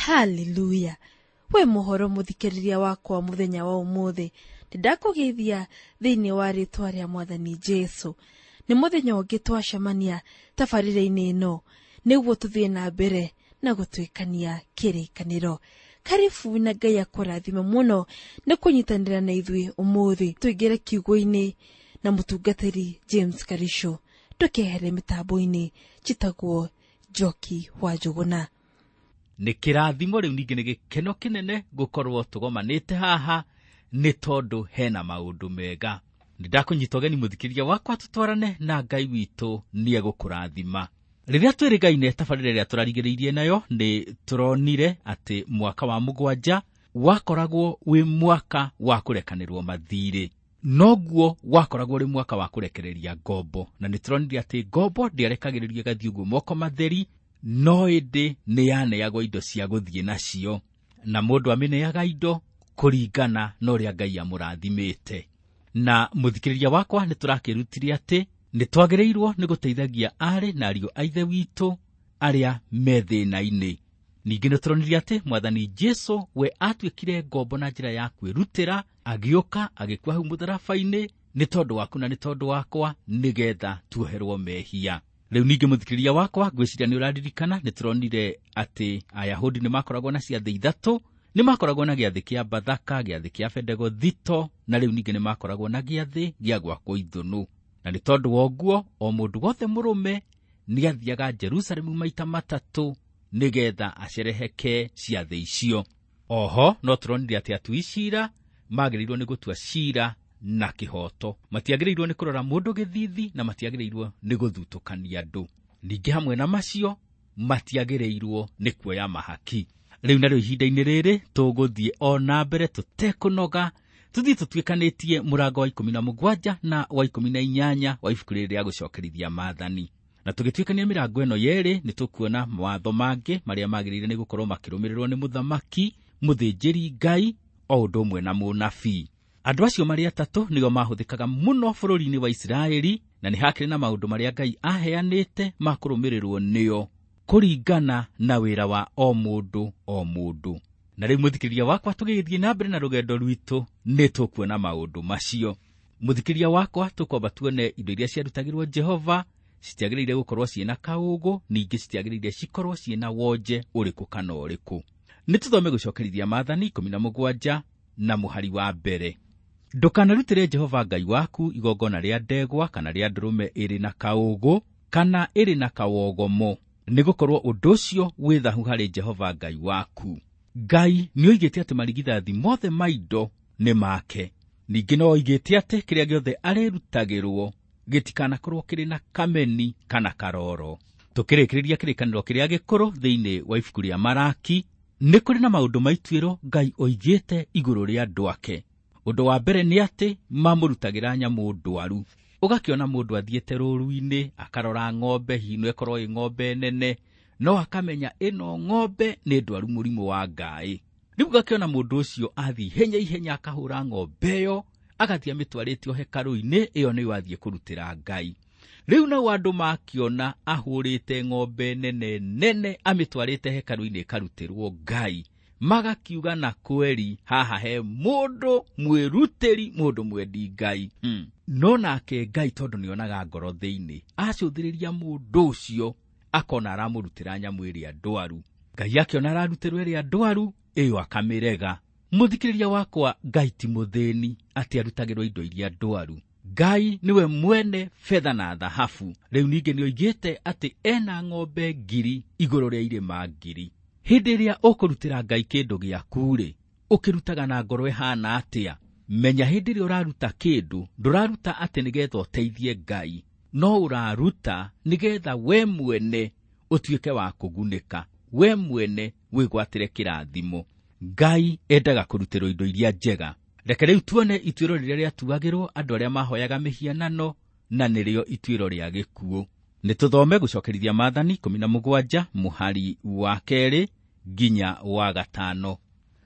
Haleluya! We mũhoro mũthikĩrĩria wakwa mũthenya wa ũmũthĩ, nĩndakũgeithia thĩinĩ wa rĩtwa rĩa Mwathani Jesu. Nĩ mũthenya ũngĩ twacemania tabarĩra-inĩ ĩno nĩguo tũthiĩ na mbere na gũtuĩkania kĩrĩkanĩro. Karibu na Ngai akũrathime mũno nĩ kũnyitanĩra na ithuĩ ũmũthĩ. Tũingĩre kiugo-inĩ na mũtungatĩri James Karisho. Ndũkehere mĩtambo-inĩ, njĩtagwo Njoki wa Njũgũna. Nĩ kĩrathimo rĩu ningĩ nĩ gĩkeno kĩnene gũkorwo tũgomanĩte haha nĩ tondũ hena maũndũ mega. Nĩ ndakũnyita ũgeni mũthikĩrĩria wakwa tũtwarane na Ngai witũ nĩ egũkũrathima. Rĩrĩa twĩrĩgaine tabarĩra ĩrĩa tũrarigĩrĩirie nayo nĩ tũronire atĩ mwaka wa 7 wakoragwo wĩ mwaka wa kũrekanĩrwo mathirĩ. Noguo wakoragwo ũrĩ mwaka wa kũrekereria ngombo, na nĩ tũronire atĩ ngombo ndĩarekagĩrĩrio ĩgathiĩ ũguo moko matheri, no ĩndĩ nĩ yaneagwo indo cia gũthiĩ nacio, na mũndũ amĩneaga indo kũringana na ũrĩa Ngai amũrathimĩte. Na mũthikĩrĩria wakwa nĩ tũrakĩrutire atĩ nĩ twagĩrĩirwo nĩ gũteithagia aarĩ na ariũ a ithe witũ arĩa me thĩna-inĩ. Ningĩ nĩ tũronire atĩ Mwathani Jesu we atuĩkire ngombo na njĩra ya kwĩrutĩra, agĩũka agĩkua hau mũtharaba-inĩ nĩ tondũ waku na nĩ tondũ wakwa, nĩgetha tuoherwo mehia. Rĩu ningĩ mũthikĩrĩria wakwa ngwĩciria nĩ ũraririkana nĩ tũronire atĩ Ayahudi nĩ makoragwo na ciathĩ 3, nĩ makoragwo na gĩathĩ kĩa Bathaka, gĩathĩ kĩa Bendegothito, na rĩu ningĩ nĩ makoragwo na gĩathĩ gĩa gwakwo ithũnũ. Na nĩ tondũ wa ũguo o mũndũ wothe mũrũme nĩ athiaga Jerusalemu maita 3 nĩgetha acereheke ciathĩ icio. Oho no tũronire atĩ atui cira magĩrĩirwo nĩ gũtua cira na kĩhooto, matiagĩrĩirwo nĩ kũrora mũndũ gĩthithi na matiagĩrĩirwo nĩ gũthutũkania andũ. Ningĩ hamwe na macio matiagĩrĩirwo nĩ kuoya mahaki. Rĩu narĩo ihinda-inĩ rĩrĩ tũgũthiĩ o na mbere tũtekũnoga, tũthiĩ tũtuĩkanĩtie mũrango wa 17 na wa 18 wa ibuku rĩrĩ rĩa gũcokerithia maathani. Na tũgĩtuĩkania mĩrango ĩno yerĩ nĩ tũkuona mawatho mangĩ marĩa magĩrĩire nĩ gũkorwo makĩrũmĩrĩrwo nĩ mũthamaki, mũthĩnjĩri Ngai o ũndũ ũmwe na mũnabii. Andũ acio marĩ atatũ nĩo mahũthĩkaga mũno bũrũri-inĩ wa Isiraeli, na nĩ hakĩrĩ na maũndũ marĩa Ngai aheanĩte ma kũrũmĩrĩrwo nĩo kũringana na wĩra wa o mũndũ o mũndũ. Na rĩu mũthikĩrĩria wakwa tũgĩthiĩ na mbere na rũgendo rwitũ nĩ tũkuona maũndũ macio. Mũthikĩrĩria wakwa tũkwamba tuone indo iria ciarutagĩrwo Jehova citiagĩrĩire gũkorwo ciĩna kaũgũ, ningĩ citiagĩrĩire cikorwo ciĩna wonje ũrĩkũ kana ũrĩkũ. Nĩ tũthome gũcokerithia maathani 17 na mũhari wa 1. Ndũkanarutĩre Jehova Ngai waku igongona rĩa ndegwa kana rĩa ndũrũme ĩrĩ na kaũgũ kana ĩrĩ na kawogomo, nĩgũkorwo ũndũ ũcio wĩ thahu harĩ Jehova Ngai waku. Ngai nĩoigĩte atĩ marigithathi mothe ma indo nĩ make. Ningĩ no oigĩte atĩ kĩrĩa gĩothe arĩrutagĩrwo gĩtikanakorwo kĩrĩ na kameni kana karoro. Tũkĩrĩkĩrĩria kĩrĩkanĩro kĩrĩa gĩkũrũ thĩinĩ wa ibuku rĩa Maraki, nĩ kũrĩ na maũndũ ma ituĩro Ngai oigĩte igũrũ rĩa andũ ake. Ũndũ wa mbere nĩ atĩ mamũrutagĩra nyamũ ndwaru. Ũgakĩona mũndũ athiĩte rũru-inĩ akarora ng'ombe, hihi no ĩkorwo ĩ ng'ombe nene, no akamenya ĩno ng'ombe nĩ ndwaru mũrimũ wa ngaĩ. Rĩu ũgakĩona mũndũ ũcio athiĩ ihenya ihenya akahũra ng'ombe ĩyo, agathiĩ amĩtwarĩte o hekarũ-inĩ ĩyo nĩyo athiĩ kũrutĩra Ngai. Rĩu nao andũ makĩona ahũrĩte ng'ombe nene nene amĩtwarĩte hekarũ-inĩ ĩkarutĩrwo Ngai, magakiuga na kweri haha he mũndũ mwĩrutĩri, mũndũ mwendi Ngai. No nake Ngai tondũ nĩonaga ngoro thĩinĩ, acũthĩrĩria mũndũ ũcio akona aramũrutĩra nyamũ ĩrĩa ndwaru. Ngai akĩona ararutĩrwo ĩrĩa ndwaru, ĩyo akamĩrega. Mũthikĩrĩria wakwa, Ngai ti mũthĩni atĩ arutagĩrwo indo iria ndwaru. Ngai nĩwe mwene betha na thahabu. Rĩu ningĩ nĩoigĩte atĩ ena ng'ombe 1000 igũrũ rĩa irĩma 1000. Hĩndĩ ĩrĩa ũkũrutĩra Ngai kĩndũ gĩaku-rĩ, ũkĩrutaga na ngoro ĩhana atĩa? Menya hĩndĩ ĩrĩa ũraruta kĩndũ, ndũraruta atĩ nĩgetha ũteithie Ngai, no ũraruta nĩgetha we mwene ũtuĩke wa kũgunĩka, we mwene wĩgwatĩre kĩrathimo. Ngai endaga kũrutĩrwo indo iria njega. Reke rĩu tuone ituĩro rĩrĩa rĩatuagĩrwo andũ arĩa mahoyaga mĩhianano, na nĩrĩo ituĩro rĩa gĩkuũ. Nĩ tũthome gũcokerithia maathani 17 mũhari wa 2 nginya wa 5.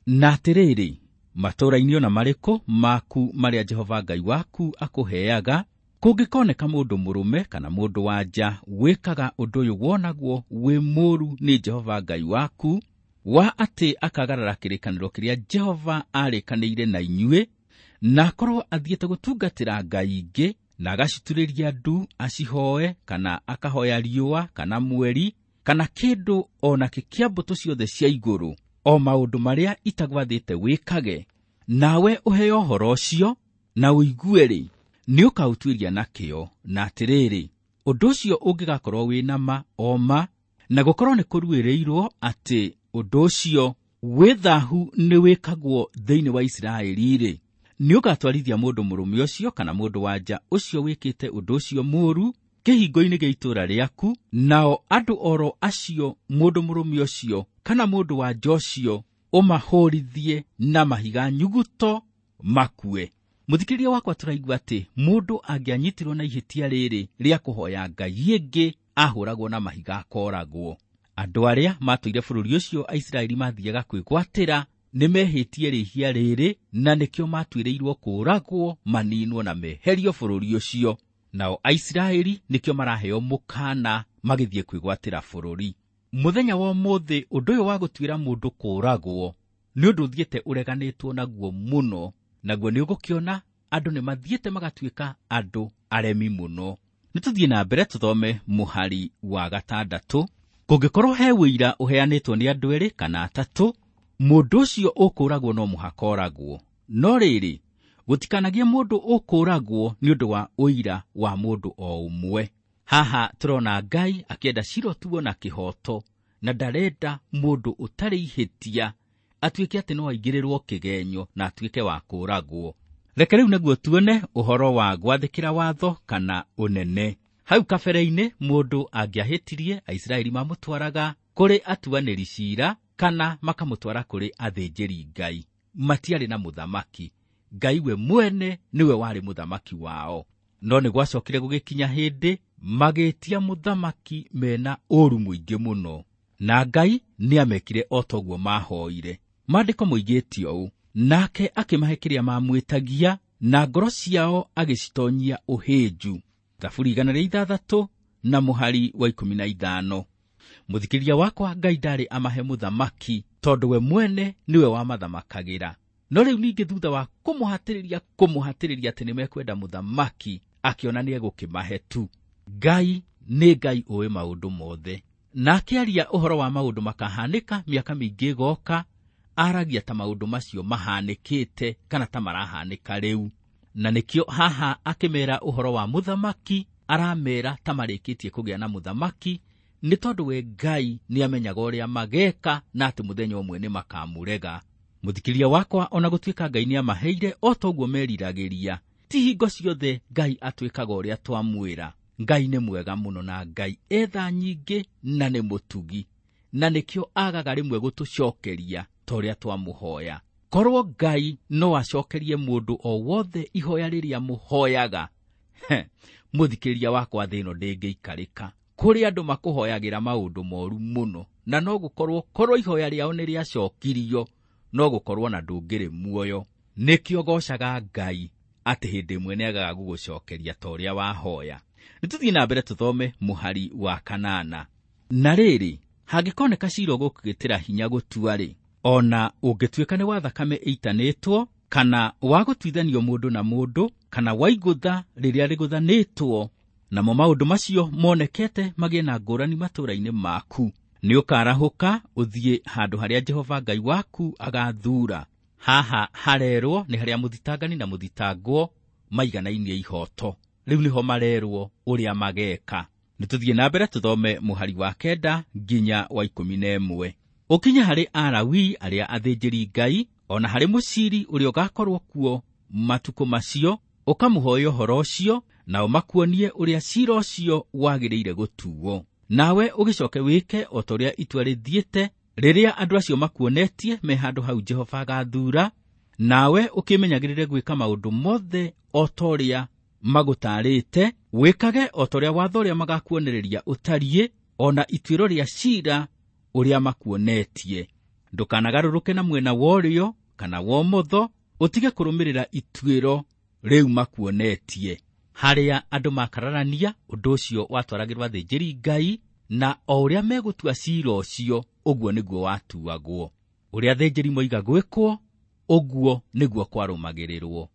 Na atĩrĩrĩ, matũũra-inĩ ona marĩkũ maku marĩa Jehova Ngai waku akũheaga, kũngĩkoneka mũndũ mũrũme kana mũndũ wa nja wĩkaga ũndũ ũyũ wonagwo wĩ mũũru nĩ Jehova Ngai waku, wa atĩ akagarara kĩrĩkanĩro kĩrĩa Jehova arĩkanĩire na inyuĩ, na akorwo athiĩte gũtungatĩra ngai ingĩ, na agaciturĩria ndu acihoe, kana akahoya riũa kana mweri kana kĩndũ o nakĩ kĩa mbũtũ ciothe cia igũrũ, o maũndũ marĩa itagwathĩte wĩkage, nawe ũheo ũhoro ũcio na ũigue-rĩ, nĩũkaũtuĩria na kĩo, na atĩrĩrĩ, ũndũ ũcio ũngĩgakorwo wĩ na ma o ma, na gũkorwo nĩ kũruĩrĩirwo atĩ ũndũ ũcio wĩ thahu nĩ wĩkagwo thĩinĩ wa Isiraeli-rĩ, nĩũgatwarithia mũndũ mũrũme ũcio kana mũndũ wa nja ũcio wĩkĩte ũndũ ũcio mũũru kĩhingo-inĩ gĩa itũũra rĩaku, nao andũ oro acio mũndũ mũrũme ũcio kana mũndũ wa nja ũcio ũmahũrithie na mahiga nyuguto makue. Mũthikĩrĩria wakwa, tũraigua atĩ mũndũ angĩanyitirwo na ihĩtia rĩrĩ rĩa kũhoya ngai ĩngĩ ahũragwo na mahiga akoragwo. Andũ arĩa matũire bũrũri ũcio Aisiraeli mathiaga kwĩgwatĩra nĩmehĩtie rĩhia rĩrĩ, na nĩkĩo matuĩrĩirwo kũũragwo, maninwo na meherio bũrũri ũcio. Nao Aisiraeli nĩkĩo maraheo mũkana magĩthiĩ kwĩgwatĩra bũrũri. Mũthenya wa ũmũthĩ ũndũ ũyũ wa gũtuĩra mũndũ kũũragwo nĩ ũndũ ũthiĩte ũreganĩtwo naguo mũno, naguo nĩ ũgũkĩona andũ nĩ mathiĩte magatuĩka andũ aremi mũno. Nĩ tũthiĩ na mbere tũthome mũhari wa 6. Kũngĩkorwo he ũira ũheanĩtwo nĩ andũ erĩ kana atatũ, mũndũ ũcio ũkũũragwo no mũhaka oragwo. No rĩrĩ, gũtikanagie mũndũ ũkũũragwo nĩ ũndũ wa ũira wa mũndũ o ũmwe. Haha tũrona Ngai akĩenda cira ũtuo na kĩhooto, na ndarenda mũndũ ũtarĩ ihĩtia atuĩke atĩ no aingĩrĩrwo kĩgenyo na atuĩke wa kũũragwo. Reke rĩu naguo tuone ũhoro wa gwathĩkĩra watho kana ũnene. Hau kabere-inĩ mũndũ angĩahĩtirie, Aisiraeli mamũtwaraga kũrĩ atuanĩri ciira kana makamũtwara kũrĩ athĩnjĩri Ngai. Matiarĩ na mũthamaki. Ngai we mwene nĩwe warĩ mũthamaki wao. No nĩ gwacokire gũgĩkinya hĩndĩ magĩtia mũthamaki mena ũũru mũingĩ mũno, na Ngai nĩamekire o toguo mahoire. Maandĩko moigĩte ũũ, nake akĩmahe kĩrĩa mamwĩtagia, na ngoro ciao agĩcitonyia ũhĩnju. Thaburi 106 na mũhari wa 15. Mũthikĩrĩria wakwa, Ngai ndarĩ amahe mũthamaki tondũ we mwene nĩwe wamathamakagĩra. No rĩu ningĩ thutha wa kũmũhatĩrĩria atĩ nĩmekwenda mũthamaki, akĩona nĩegũkĩmahe tu. Ngai nĩ Ngai ũĩ maũndũ mothe, na akĩaria ũhoro wa maũndũ makahanĩka mĩaka mĩingĩ ĩgoka, aragia ta maũndũ macio mahanĩkĩte kana ta marahanĩka rĩu. Na nĩkĩo haha akĩmera ũhoro wa mũthamaki, aramera ta marĩkĩtie kũgĩa na mũthamaki, nĩ tondũ we Ngai nĩamenyaga ũrĩa mageka na atĩ mũthenya ũmwe nĩ makamũrega. Mũthikĩria wakwa, ona gũtuĩka Ngai nĩamaheire o toguo meriragĩria, ti hingo ciothe Ngai atwĩkaga ũrĩa twamwĩra. Ngai nĩ mwega mũno na Ngai etha nyingĩ na nĩ mũtugi, na nĩkĩo agaga rĩmwe gũtũcokeria ta ũrĩa twamũhoya. Korwo Ngai no acokerie mũndũ o wothe ihoya rĩrĩa mũhoyaga, mũthikĩrĩria wakwa, thĩ ĩno ndĩngĩikarĩka. Kũrĩ andũ makũhoyagĩra maũndũ moru mũno, na no gũkorwo korwo ihoya rĩao nĩ rĩacokirio, no gũkorwo na ndũngĩrĩ muoyo. Nĩkĩo gocaga Ngai atĩ hĩndĩ ĩmwe nĩagaga gũgũcokeria ta ũrĩa wahoya. Nĩtũthiĩ na mbere tũthome mũhari wa 8. Na rĩrĩ, hangĩkoneka cira ũgũkĩgĩtĩra hinya gũtua-rĩ, ona ũngĩtuĩka nĩ wa thakame ĩitanĩtwo, kana wa gũtuithanio mũndũ na mũndũ, kana wa igũtha rĩrĩa rĩgũthanĩtwo, namo maũndũ macio monekete magĩe na ngũrani matũũra-inĩ maku, nĩũkarahũka ũthiĩ handũ harĩa Jehova Ngai waku agathuura. Haha harerwo nĩ harĩa mũthitangani na mũthitangwo maiganainie ihoto. Rĩu nĩho marerwo ũrĩa mageka. Nĩtũthiĩ na mbere tũthome mũhari wa 9 nginya wa 11. Ũkinye harĩ Alawii arĩa athĩnjĩri Ngai, ona harĩ mũciri ũrĩa ũgakorwo kuo matukũ macio, ũkamũhoya ũhoro ũcio, nao makuonie ũrĩa cira ũcio wagĩrĩire gũtuo. Nawe ũgĩcoke wĩke o ta ũrĩa itua rĩthiĩte rĩrĩa andũ acio makuonetie me handũ hau Jehova agathuura, nawe ũkĩmenyagĩrĩre gwĩka maũndũ mothe o ta ũrĩa magũtarĩte, wĩkage o ta ũrĩa watho ũrĩa magakuonereria ũtariĩ, ona ituĩro rĩa cira ũrĩa makuonetie. Ndũkanagarũrũke na mwena wa ũrĩo kana wa ũmotho, ũtige kũrũmĩrĩra ituĩro rĩu makuonetie. Harĩa andũ makararania, ũndũ ũcio watwaragĩrwo athĩnjĩri Ngai, na o ũrĩa megũtua cira ũcio ũguo nĩguo watuagwo. Ũrĩa athĩnjĩri moiga gwĩkwo, ũguo nĩguo kwarũmagĩrĩrwo.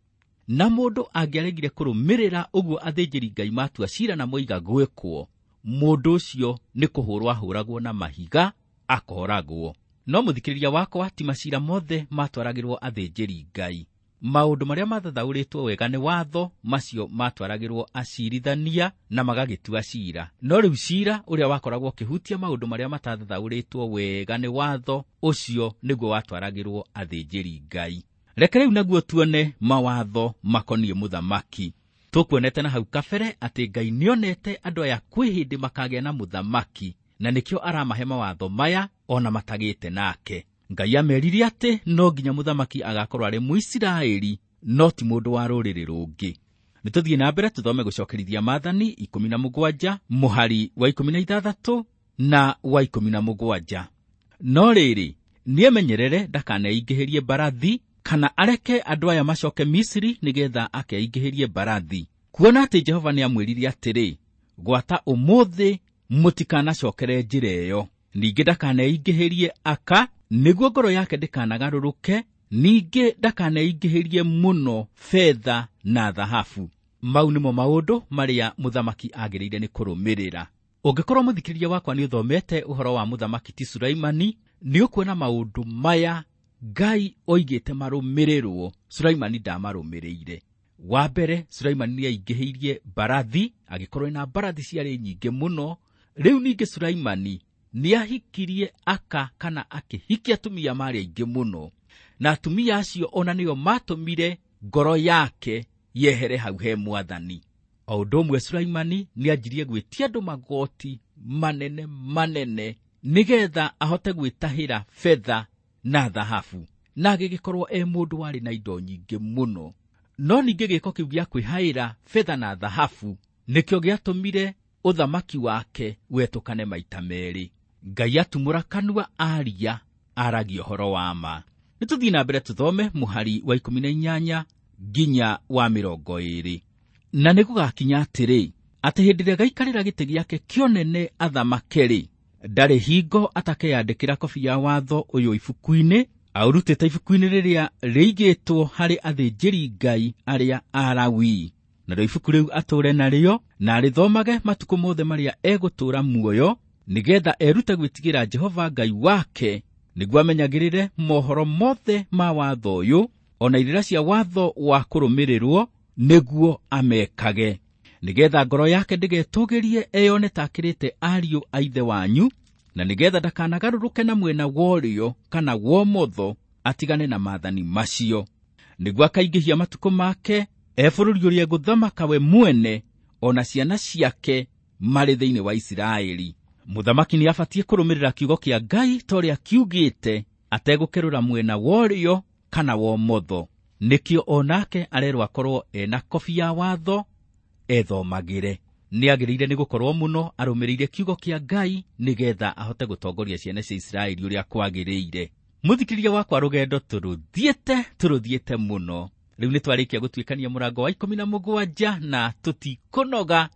Na mũndũ angĩaregire kũrũmĩrĩra ũguo athĩnjĩri Ngai matua cira na moiga gwĩkwo, mũndũ ũcio nĩ kũhũrwo ahũragwo na mahiga akooragwo. No mũthikĩrĩria wakwa, ti macira mothe matwaragĩrwo athĩnjĩri Ngai. Maũndũ marĩa mathathaũrĩtwo wega nĩ watho, macio matwaragĩrwo acirithania na magagĩtua cira. No rĩu cira ũrĩa wakoragwo ũkĩhutia maũndũ marĩa matathathaũrĩtwo wega nĩ watho, ũcio nĩguo watwaragĩrwo athĩnjĩri Ngai. Reke rĩu naguo tuone mawatho makoniĩ mũthamaki. Tũkuonete na hau kabere atĩ Ngai nĩonete andũ aya kwĩ hĩndĩ makagĩa na mũthamaki, na nĩkĩo aramahe mawatho maya ona matagĩte nake. Ngai amerire atĩ no nginya mũthamaki agakorwo arĩ Mũisiraeli, no ti mũndũ wa rũrĩrĩ rũngĩ. Nĩtũthiĩ na mbere tũthome gũcokerithia maathani 17 mũhari wa 16 na wa 17. No rĩrĩ, nĩemenyerere ndakaneingĩhĩrie mbarathi, kana areke andũ aya macoke Misiri nĩgetha akeingĩhĩrie mbarathi. Kuona atĩ Jehova nĩamwĩrire atĩrĩ, gwata ũmũthĩ mũtikanacokere njĩra ĩyo. Ningĩ ndakaneingĩhĩrie aka, nĩguo ngoro yake ndĩkanagarũrũke, ningĩ ndakaneingĩhĩrie mũno betha na thahabu. Mau nĩmo maũndũ marĩa mũthamaki agĩrĩire nĩ kũrũmĩrĩra. Ũngĩkorwo mũthikĩrĩria wakwa nĩũthomete ũhoro wa mũthamaki ti Sulaimani, nĩũkuona maũndũ maya Ngai oigĩte marũmĩrĩrwo, Sulaimani ndamarũmĩrĩire. Wa mbere, Sulaimani nĩaingĩhĩirie mbarathi, agĩkorwo ena mbarathi ciarĩ nyingĩ mũno. Rĩu ningĩ Sulaimani nĩahikirie aka kana akĩhikia atumia marĩ aingĩ mũno, na atumia acio ona nĩo matũmire ngoro yake yehere hau he mwathani. O ũndũ ũmwe Sulaimani nĩanjirie gwĩtia andũ magoti manene manene nĩgetha ahote gwĩtahĩra betha na thahabu, na agĩgĩkorwo e mũndũ warĩ na indo nyingĩ mũno. No ningĩ gĩko kĩu gĩa kwĩhaĩra betha na thahabu nĩkĩo gĩatũmire ũthamaki wake wetũkane maita merĩ. Ngai atumũra kanua aria, aragia ũhoro wa ma. Nĩtũthiĩ na mbere tũthome mũhari wa 18 nginya wa 20. Na nĩgũgakinya atĩrĩ, atĩ hĩndĩ ĩrĩa gaikarĩra gĩtĩ gĩake kĩonene athamake-rĩ, ndarĩ hingo atakeyandĩkĩra kobi ya watho ũyũ ibuku-inĩ, aũrutĩte ibuku-inĩ rĩrĩa rĩigĩtwo harĩ athĩnjĩri Ngai arĩa Alawii. Narĩo ibuku rĩu atũũre narĩo, na arĩthomage matukũ mothe marĩa egũtũũra muoyo, nĩgetha erute gwĩtigĩra Jehova Ngai wake, nĩguo amenyagĩrĩre mohoro mothe ma watho ũyũ, ona irĩra cia watho wa kũrũmĩrĩrwo, nĩguo amekage, nĩgetha ngoro yake ndĩgetũũgĩrie eyone ta akĩrĩte ariũ a ithe wanyu, na nĩgetha ndakanagarũrũke na mwena wa ũrĩo kana wa ũmotho, atigane na maathani macio, nĩguo akaingĩhia matukũ make e bũrũri ũrĩa egũthamaka we mwene, ona ciana ciake marĩ thĩinĩ wa Isiraeli. Mũthamaki nĩabatiĩ kũrũmĩrĩra kiugo kĩa Ngai ta ũrĩa kiugĩte, ategũkerũra mwena wa ũrĩo kana wa ũmotho. Nĩkĩo onake arerwo akorwo ena kobi ya watho ethomagĩre. Nĩagĩrĩire nĩ gũkorwo mũno arũmĩrĩire kiugo kĩa Ngai nĩgetha ahote gũtongoria ciana cia Isiraeli ũrĩa kwagĩrĩire. Mũthikĩrĩria wakwa, rũgendo tũrũthiĩte mũno. Rĩu nĩtwarĩkia gũtuĩkania mũrango wa 17 na tũtikũnoga,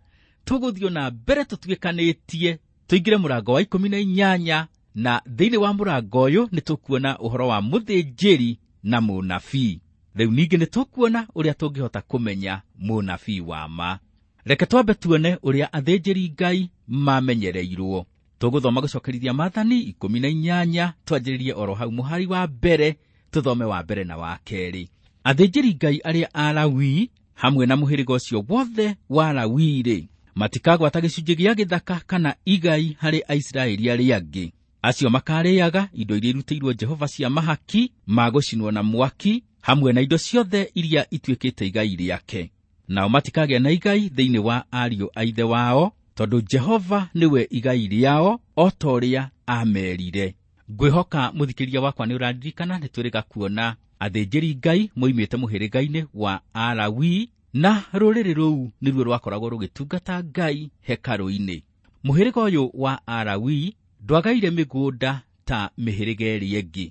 tũgũthiĩ na mbere tũtuĩkanĩtie tũingĩre mũrango wa 18, na thĩinĩ wa mũrango ũyũ nĩtũkuona ũhoro wa mũthĩnjĩri na mũnabii. Rĩu ningĩ nĩtũkuona ũrĩa tũngĩhota kũmenya mũnabii wa ma. Reke twambe tuone ũrĩa athĩnjĩri Ngai mamenyereirwo. Tũgũthoma gũcokerithia maathani 18, twanjĩrĩrie oro hau mũhari wa mbere, tũthome wa mbere na wa kerĩ. Athĩnjĩri Ngai arĩa Alawii hamwe na mũhĩrĩga ũcio wothe wa Lawi-rĩ, matikagwata gĩcunjĩ gĩa gĩthaka kana igai harĩ Aisiraeli arĩa angĩ. Acio makarĩaga indo iria irutĩirwo Jehova cia mahaki ma gũcinwo na mwaki, hamwe na indo ciothe iria ituĩkĩte igai rĩake. Nao matikagĩa na igai thĩinĩ wa ariũ a ithe wao, tondũ Jehova nĩwe igai rĩao, o ta ũrĩa aamerire. Ngwĩhoka mũthikĩrĩria wakwa nĩ ũraririkana nĩtwĩrĩga kuona athĩnjĩri Ngai moimĩte mũhĩrĩga-inĩ wa Alawii, na rũrĩrĩ rũu nĩruo rwakoragwo rũgĩtungata Ngai hekarũ-inĩ. Mũhĩrĩga ũyũ wa Alawii ndwagaire mĩgũnda ta mĩhĩrĩga ĩrĩa ĩngĩ.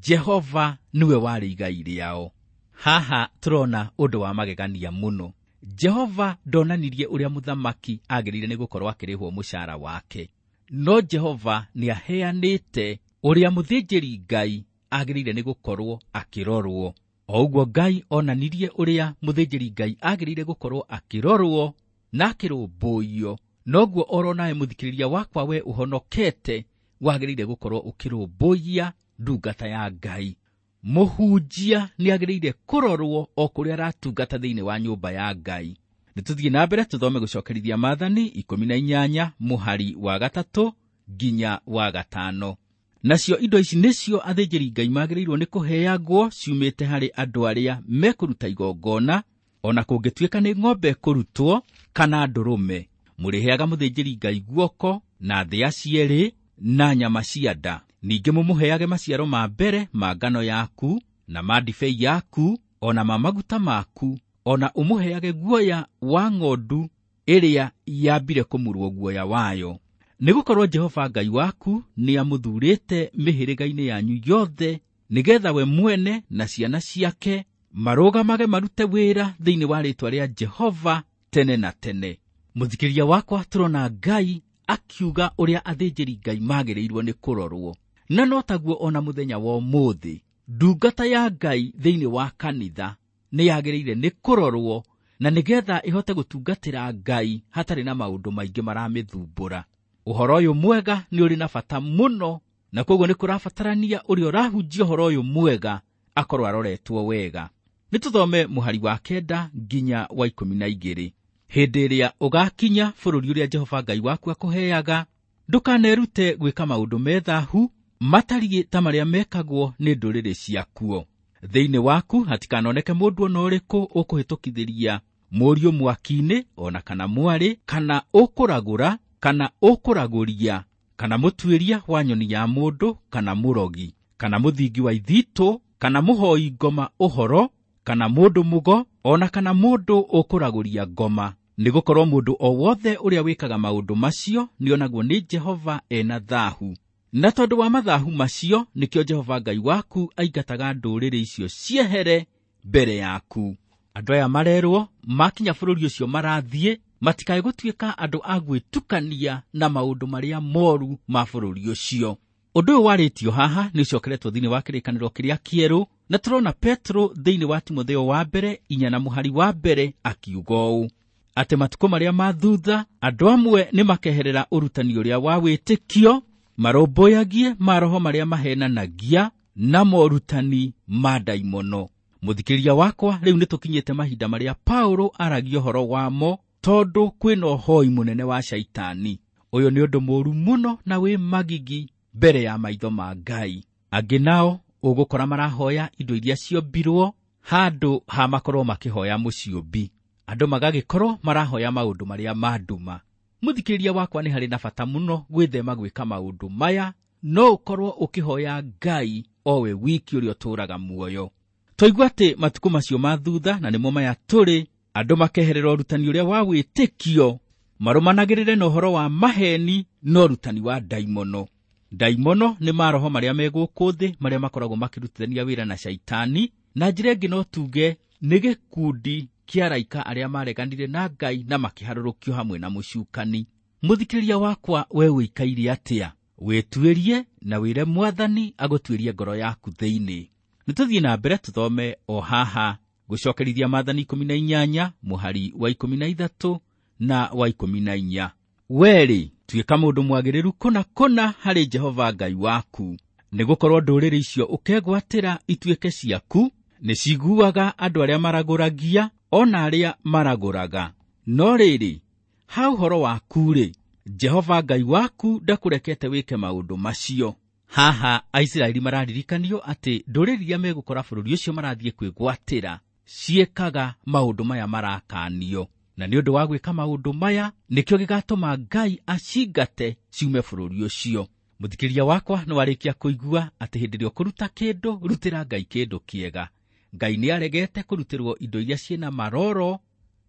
Jehova nĩwe warĩ igai rĩao. Haha tũrona ũndũ wa magegania mũno. Jehova ndonanirie ũrĩa mũthamaki agĩrĩire nĩ gũkorwo akĩrĩhwo mũcara wake. No Jehova nĩ aheanĩte ũrĩa mũthĩnjĩri Ngai agĩrĩire nĩ gũkorwo akĩrorwo. O ũguo Ngai onanirie ũrĩa mũthĩnjĩri Ngai agĩrĩire gũkorwo akĩrorwo na akĩrũmbũiyo, noguo oro nawe mũthikĩrĩria wakwa we ũhonokete wagĩrĩire gũkorwo ũkĩrũmbũiya ndungata ya Ngai. Mũhunjia nĩ agĩrĩire kũrorwo o kũrĩa aratungata thĩinĩ wa nyũmba ya Ngai. Nĩ tũthiĩ na mbere tũthome gũcokerithia Maathani 18 mũhari wa 3 nginya wa 5. Nacio indo ici nĩcio athĩnjĩri Ngai magĩrĩirwo nĩ kũheagwo ciumĩte harĩ andũ arĩa mekũruta igongona, ona kũngĩtuĩka nĩ ng'ombe kũrutwo kana ndũrũme. Mũrĩheaga mũthĩnjĩri Ngai guoko na thĩa cierĩ na nyama cia nda. Ningĩ mũmũheage maciaro ma mbere ma ngano yaku na ma ndibei yaku ona ma maguta maku, ona ũmũheage guoya wa ng'ondu ĩrĩa yambire kũmurwo guoya wayo. Nĩgũkorwo Jehova Ngai waku nĩamũthurĩte mĩhĩrĩga-inĩ yanyu yothe, nĩgetha we mwene na ciana ciake marũgamage marute wĩra thĩinĩ wa rĩĩtwa rĩa Jehova tene na tene. Mũthikĩrĩria wakwa, tũrona Ngai akiuga ũrĩa athĩnjĩri Ngai magĩrĩirwo nĩ kũrorwo. Na no taguo ona mũthenya wa ũmũthĩ, ndungata ya Ngai thĩinĩ wa kanitha nĩ yagĩrĩire nĩ kũrorwo, na nĩgetha ĩhote gũtungatĩra Ngai hatarĩ na maũndũ maingĩ maramĩthumbũra. Ũhoro ũyũ mwega nĩ ũrĩ na bata mũno, na koguo nĩ kũrabatarania ũrĩa ũrahunjia ũhoro ũyũ mwega akorwo aroretwo wega. Nĩ tũthome mũhari wa 9 nginya wa 12. Hĩndĩ ĩrĩa ũgakinya bũrũri ũrĩa Jehova Ngai waku akũheaga, ndũkanerute gwĩka maũndũ me thaahu matariĩ ta marĩa mekagwo nĩ ndũrĩrĩ ciakuo. Thĩinĩ waku hatikanoneke mũndũ ona ũrĩkũ ũkũhĩtũkithĩria mũriũ mwaki-inĩ, ona kana mwarĩ, kana ũkũragũra, kana ũkũragũria, kana mũtuĩria wa nyoni ya mũndũ, kana mũrogi, kana mũthingi wa ithitũ, kana mũhoi ngoma ũhoro, kana mũndũ mũgo, ona kana mũndũ ũkũragũria ngoma. Nĩgũkorwo mũndũ o wothe ũrĩa wĩkaga maũndũ macio nĩonagwo nĩ Jehova ena thaahu. Na tondũ wa mathahu macio nĩkĩo Jehova Ngai waku aingataga ndũrĩrĩ icio ciehere mbere yaku. Andũ aya marerwo makinya bũrũri ũcio marathiĩ matikae gũtuĩka andũ a gwĩtukania na maũndũ marĩa moru ma bũrũri ũcio. Ũndũ ũyũ warĩtio haha nĩ ũcokeretwo thĩinĩ wa kĩrĩkanĩro kĩrĩa kĩerũ, na tũrona Petro thĩinĩ wa Timotheo wa mbere 4 na mũhari wa 1 akiuga ũũ atĩ matukũ marĩa ma thutha andũ amwe nĩ makeherera ũrutani ũrĩa wa wĩtĩkio, marũmbũyagie maroho marĩa mahenanagia na morutani ma ndaimono. Mũthikĩrĩria wakwa, rĩu nĩ tũkinyĩte mahinda marĩa Paulo aragia ũhoro wamo, tondũ kwĩna ũhoi mũnene wa Shaitani. Ũyũ nĩ ũndũ mũũru mũno na wĩ magigi mbere ya maitho ma Ngai. Angĩ nao ũgũkora marahoya indo iria ciombirwo handũ ha makorwo makĩhoya mũciũmbi. Andũ magagĩkorwo marahoya maũndũ marĩa ma nduma. Mũthikĩrĩria wakwa, nĩ harĩ na bata mũno gwĩthema gwĩka maũndũ maya, no ũkorwo ũkĩhoya Ngai o we wiki ũrĩa ũtũũraga muoyo. Twaigua atĩ matukũ macio ma thutha, na nĩmo maya tũrĩ, andũ makeherera ũrutani ũrĩa wa wĩtĩkio, marũmanagĩrĩre na ũhoro wa maheni na ũrutani wa ndaimono. Ndaimono nĩ maroho marĩa me gũkũ thĩ marĩa makoragwo makĩrutithania wĩra na Shaitani, na njĩra ĩngĩ no tuge nĩ gĩkundi kĩa araika arĩa mareganire na Ngai na makĩharũrũkio hamwe na mũcukani. Mũthikĩrĩria wakwa, we ũikaire atĩa? Wĩtuĩrie na wĩre Mwathani agũtuĩrie ngoro yaku thĩinĩ. Nĩ tũthiĩ na mbere tũthome o haha gũcokerithia Maathani 18 mũhari wa 13 na wa 14. Werĩ, tuĩka mũndũ mwagĩrĩru kũna kũna harĩ Jehova Ngai waku, nĩgũkorwo ndũrĩrĩ icio ũkegwatĩra ituĩke ciaku nĩciguaga andũ arĩa maragũragia ona arĩa maragũraga. No rĩrĩ, ha ũhoro waku-rĩ, Jehova Ngai waku ndakũrekete wĩke maũndũ macio. Haha Aisiraeli mararirikanio atĩ ndũrĩrĩ iria megũkora bũrũri ũcio marathiĩ kwĩgwatĩra ciĩkaga maũndũ maya marakanio, na nĩ ũndũ wa gwĩka maũndũ maya nĩkĩo gĩgatũma Ngai acingate ciume bũrũri ũcio. Mũthikĩrĩria wakwa, nĩ warĩkia kũigua atĩ hĩndĩ ĩrĩa ũkũruta kĩndũ, rutĩra Ngai kĩndũ kĩega. Ngai nĩ aregete kũrutĩrwo indo iria ciĩna maroro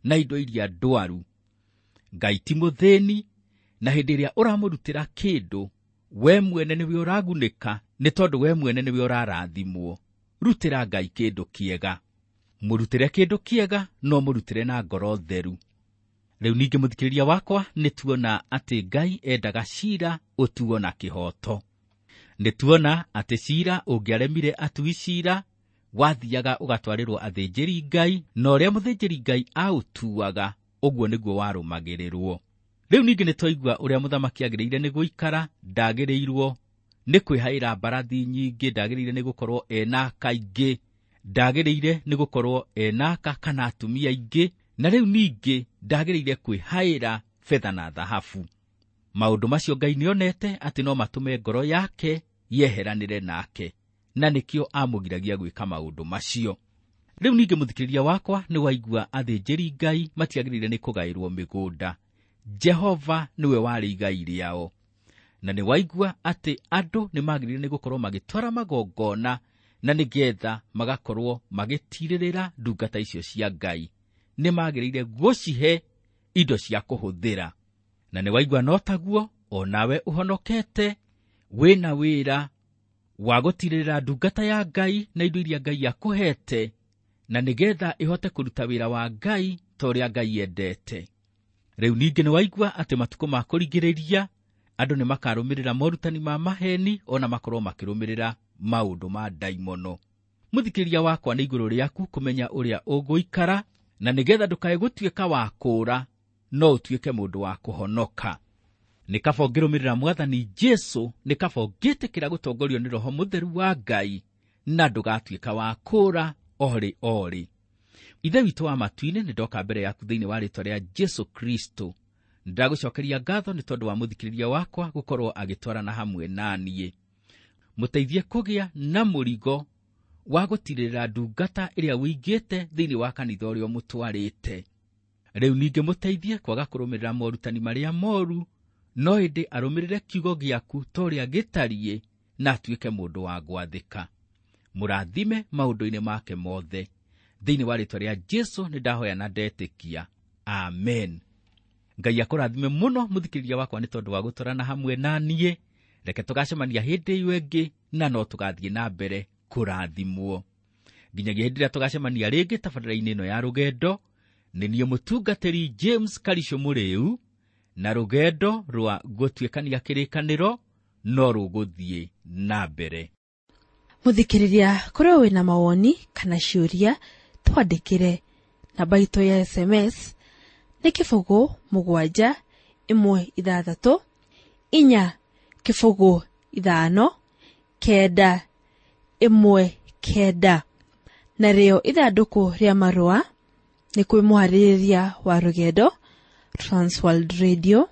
na indo iria ndwaru. Ngai ti mũthĩni, na hĩndĩ ĩrĩa ũramũrutĩra kĩndũ, we mwene nĩwe ũragunĩka, nĩ tondũ we mwene nĩwe ũrarathimwo. Rutĩra Ngai kĩndũ kĩega. Mũrutĩre kĩndũ kĩega, no mũrutĩre na ngoro theru. Rĩu ningĩ mũthikĩrĩria wakwa, nĩ tuona atĩ Ngai endaga cira ũtuo na kĩhooto. Nĩ tuona atĩ cira ũngĩaremire atui cira wathiaga ũgatwarĩrwo athĩnjĩri Ngai, na ũrĩa mũthĩnjĩri Ngai aũtuaga ũguo nĩguo warũmagĩrĩrwo. Rĩu ningĩ nĩ twaigua ũrĩa mũthamaki agĩrĩire nĩ gũikara, ndagĩrĩirwo nĩ kwĩhaĩra mbarathi nyingĩ, ndagĩrĩire nĩ gũkorwo ena aka aingĩ, ndagĩrĩire nĩ gũkorwo ena aka kana atumia aingĩ, na rĩu ningĩ ndagĩrĩire kwĩhaĩra betha na thahabu. Maũndũ macio Ngai nĩonete atĩ no matũme ngoro yake yeheranĩre nake, na nĩkĩo amũgiragia gwĩka maũndũ macio. Rĩu ningĩ mũthikĩrĩria wakwa, nĩ waigua athĩnjĩri Ngai matiagĩrĩire nĩ kũgaĩrwo mĩgũnda. Jehova nĩwe warĩ igai rĩao. Na nĩ waigua atĩ andũ nĩ magĩrĩire nĩ gũkorwo magĩtwara magongona na nĩgetha magakorwo magĩtirĩrĩra ndungata icio cia Ngai. Nĩ magĩrĩire gũcihe indo cia kũhũthĩra. Na nĩ waigua no taguo o nawe ũhonokete wĩna wĩra wa gũtirĩrĩra ndungata ya Ngai na indo iria Ngai akũhete, na nĩgetha ĩhote kũruta wĩra wa Ngai ta ũrĩa Ngai endete. Rĩu ningĩ nĩ waigua atĩ matukũ ma kũrigĩrĩria andũ nĩ makarũmĩrĩra morutani ma maheni ona makorwo makĩrũmĩrĩra maũndũ ma ndaimono. Mũthikĩrĩria wakwa, nĩ igũrũ rĩaku kũmenya ũrĩa ũgũikara, na nĩgetha ndũkae gũtuĩka wa kũũra, no ũtuĩke mũndũ wa kũhonoka. Nĩ kaba ũngĩrũmĩrĩra Mwathani Jesũ, nĩ kaba ũngĩtĩkĩra gũtongorio nĩ Roho Mũtheru wa Ngai, na ndũgatuĩka wa kũũra orĩ orĩ. Ithe witũ wa matu-inĩ, nĩ ndoka mbere yaku thĩinĩ wa rĩĩtwa rĩa Jesũ Kristo. Ndagũcokeria ngatho nĩ tondũ wa mũthikĩrĩria wakwa gũkorwo agĩtwarana hamwe na niĩ. Mũteithie kũgĩa na mũrigo wa gũtirĩrĩra ndungata ĩrĩa ũigĩte thĩinĩ wa kanitha ũrĩa ũmũtwarĩte. Rĩu ningĩ mũteithie kwaga kũrũmĩrĩra morutani marĩa moru, no ĩndĩ arũmĩrĩre kiugo gĩaku ta ũrĩa gĩtariĩ, na atuĩke mũndũ wa gwathĩka. Mũrathime maũndũ-inĩ make mothe. Thĩinĩ wa rĩĩtwa rĩa Jesũ nĩ ndahoya na ndetĩkia. Amen. Ngai akũrathime mũno mũthikĩrĩria wakwa nĩ tondũ wa gũtwarana hamwe na niĩ. Reke tũgacemania hĩndĩ ĩyo ĩngĩ, na no tũgathiĩ na mbere kũrathimwo. Nginyagia hĩndĩ ĩrĩa tũgacemania rĩngĩ tabarĩra-inĩ ĩno ya rũgendo, nĩ niĩ mũtungatĩri James Karisho Mũrĩu, na rũgendo rwa gũtuĩkania kĩrĩkanĩro no rũgũthiĩ na mbere. Mũthikĩrĩria, korwo wĩna mawoni kana ciũria, twandĩkĩre. Namba itũ ya SMS nĩ 0 7 1 6 4 0 5 9 1 9. Narĩo ithandũkũ rĩa marũa nĩ kwĩ mũharĩrĩria wa rũgendo Transworld Radio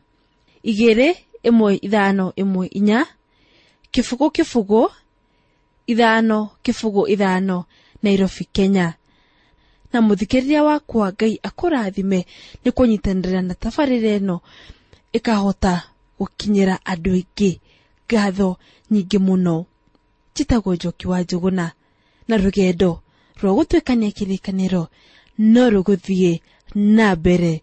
2 1 5 1 4 0 0 5 0 5 Nairobi, Kenya. Na mũthikĩrĩria wakwa, Ngai akũrathime nĩ kũnyitanĩra na tabarĩra ĩno ĩkahota gũkinyĩra andũ aingĩ. Ngatho nyingĩ mũno. Njĩtagwo Njoki wa Njũgũna, na rũgendo rwa gũtuĩkania kĩrĩkanĩro no rũgũthiĩ na mbere.